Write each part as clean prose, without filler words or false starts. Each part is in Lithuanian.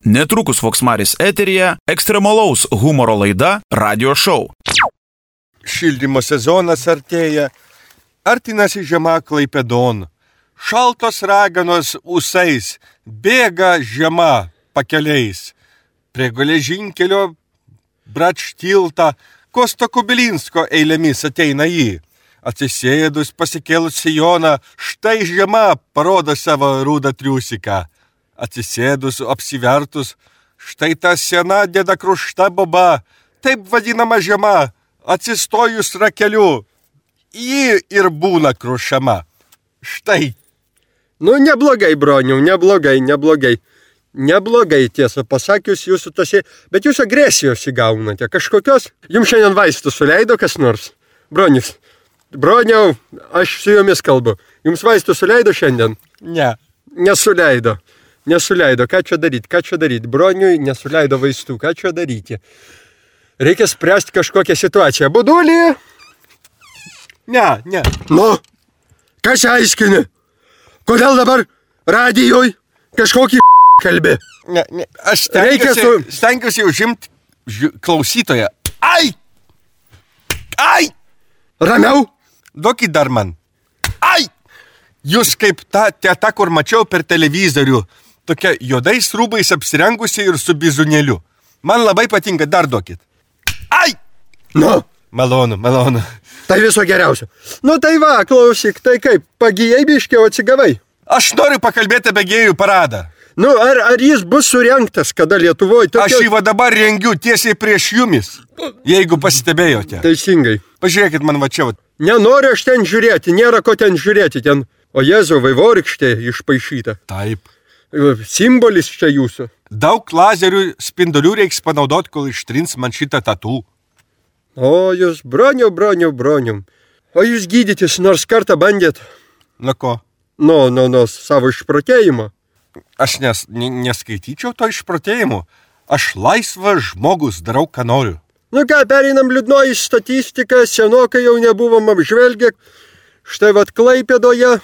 Netrukus Voksmaris eteryje ekstremalaus humoro laida Radio Show. Šildymo sezonas artėja, artinasi žiema Klaipėdon. Šaltos raganos ūsais, bėga žiema pakeliais. Prie geležinkelio Bračtilta Kosto Kubilinsko eilėmis ateina jį. Atsisėdus pasikėlus sijoną, štai žiema parodo savo rūdą triusiką. Atsisėdus, apsivertus, štai ta sena dėda krušta boba, taip vadinama žiema, atsistojus rakeliu, ji ir būna krušama. Štai. Nu, neblogai, broniau, neblogai. Neblogai, tiesą pasakius, jūsų tose, bet jūs agresijos įgaunate. Kažkokios, jums šiandien vaistų suleido kas nors? Broniau, aš su jumis kalbu. Jums vaistų suleido šiandien? Ne. Nesuleido. Ką čia daryti? Broniui nesuleido vaistų. Ką čia daryti? Reikia spręsti kažkokią situaciją. Budulį? Ne. Nu, kas aiškini? Kodėl dabar radijoj kažkokį kalbi? Ne. Aš stengiuosi užimti klausytoją. Ai! Ramiau? Duokit dar man. Ai! Jūs kaip ta teta, kur mačiau per televizorių, tokia juodais rūbais apsirengusi ir su bizunėliu. Man labai patinka, dar duokit. Ai! Nu? Malonu. Tai viso geriausio. Nu tai va, klausyk, tai kaip, pagijai biškiau atsigavai? Aš noriu pakalbėti apie gėjų paradą. Nu, ar jis bus surengtas, kada Lietuvoje? Aš jį va dabar rengiu tiesiai prieš jumis, jeigu pasistebėjote. Teisingai. Pažiūrėkit man va čia. Nenoriu aš ten žiūrėti, nėra ko ten žiūrėti, ten, o Jėzau, vaivorykštė išpaišyta. Taip. Simbolis čia jūsų. Daug lazerių spindulių reiks panaudoti, kol ištrins man šitą tatų. O jūs, broniau. O jūs gydytis nors kartą bandėt? Na ko? Nu, savo išprotėjimo. Aš neskaityčiau to išprotėjimo. Aš laisvas žmogus, darau, ką noriu. Nu ką, pereinam liūdnoji statistika, senokai jau nebuvom apžvelgę. Štai vat Klaipėdoje,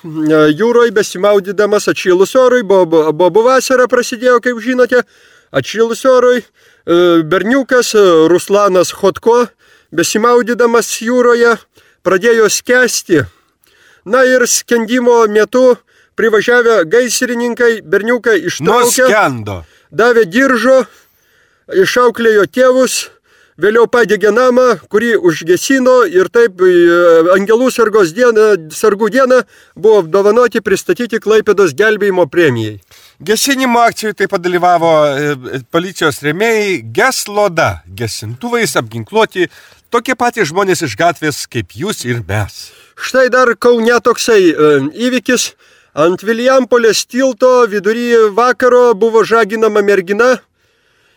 jūroje besimaudydamas atšilus orui, bobų vasara prasidėjo, kaip žinote, atšilus orui, berniukas Ruslanas Chodko, besimaudydamas jūroje, pradėjo skęsti. Na ir skendimo metu privažiavę gaisrininkai berniuką ištraukė, nuskendo. Davė diržo, išauklėjo tėvus, vėliau padegė namą, kurį užgesino ir taip Angelų sargų dieną buvo apdovanoti pristatyti Klaipėdos gelbėjimo premijai. Gesinimo akcijų taip pat dalyvavo policijos rėmėjai Gesloda, gesintuvais apginkluoti tokie patys žmonės iš gatvės kaip jūs ir mes. Štai dar Kaune toksai įvykis. Ant Vilijampolės tilto vidury vakaro buvo žaginama mergina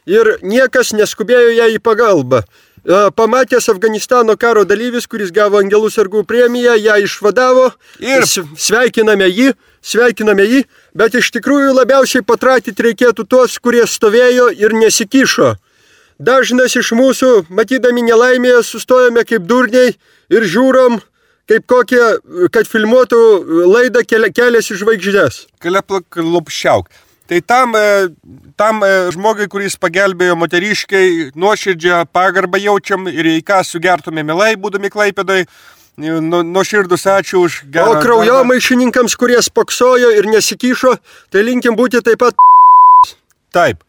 ir niekas neskubėjo ją į pagalbą. Pamatęs Afganistano karo dalyvis, kuris gavo Angelų sargų premiją, ją išvadavo ir sveikiname jį, bet iš tikrųjų labiausiai patratyti reikėtų tuos, kurie stovėjo ir nesikišo. Dažnas iš mūsų, matydami nelaimėje, sustojame kaip durniai ir žiūrom, kaip kokie, kad filmuotų laidą Kelias į žvaigždes. Lupšiauk. Tai tam žmogui, kuris pagelbėjo moteriškai, nuoširdžią pagarbą jaučiam ir į ką sugertume mielai, būdami Klaipėdoj, nuoširdus ačiū už gerą. O kraujomaišininkams, kurie spoksojo ir nesikišo, tai linkim būti taip pat. Taip.